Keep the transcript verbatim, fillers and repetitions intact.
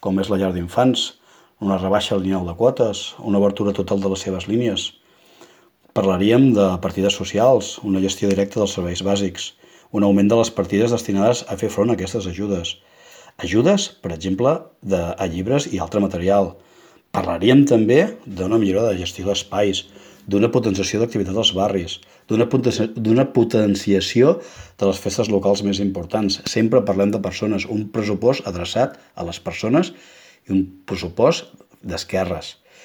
com és la llar d'infants, una rebaixa lineal de quotes, una obertura total de les seves línies. Parlaríem de partides socials, una gestió directa dels serveis bàsics, un augment de les partides destinades a fer front a aquestes ajudes. Ajudes, per exemple, de, a llibres i altre material. Parlaríem també d'una millora de gestió d'espais, d'una potenciació d'activitat als barris, d'una potenciació de les festes locals més importants. Sempre parlem de persones, un pressupost adreçat a les persones i un pressupost d'esquerres.